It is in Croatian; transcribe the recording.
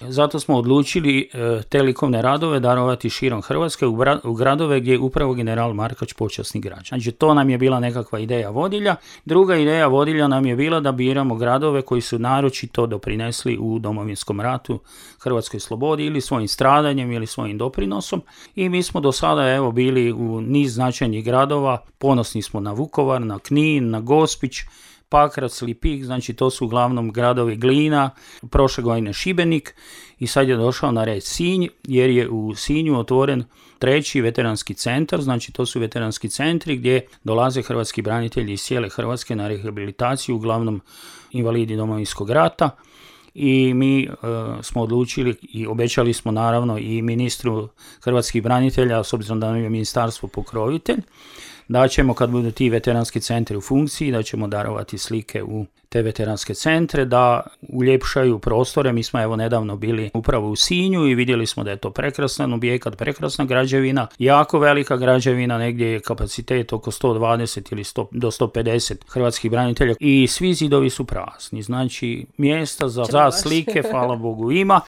Zato smo odlučili te likovne radove darovati širom Hrvatske u gradove gdje je upravo general Markač počasni građanin. Znači to nam je bila nekakva ideja vodilja. Druga ideja vodilja nam je bila da biramo gradove koji su naročito doprinesli u Domovinskom ratu Hrvatskoj slobodi ili svojim stradanjem ili svojim doprinosom. I mi smo do sada bili u niz značajnih gradova. Ponosni smo na Vukovar, na Knin, na Gospić, Pakrac, Lipik, znači to su uglavnom gradovi Glina, prošle godine Šibenik i sad je došao na red Sinj jer je u Sinju otvoren 3. veteranski centar, znači to su veteranski centri gdje dolaze hrvatski branitelji iz cijele Hrvatske na rehabilitaciju, uglavnom invalidi Domovinskog rata. I mi smo odlučili i obećali smo naravno i ministru hrvatskih branitelja, s obzirom da nam je ministarstvo pokrovitelj, da ćemo kad budu ti veteranski centri u funkciji, da ćemo darovati slike u te veteranske centre, da uljepšaju prostore. Mi smo nedavno bili upravo u Sinju i vidjeli smo da je to prekrasan objekat, prekrasna građevina, jako velika građevina, negdje je kapacitet oko 120 ili 100 do 150 hrvatskih branitelja i svi zidovi su prazni. Znači mjesta za slike, hvala Bogu, ima.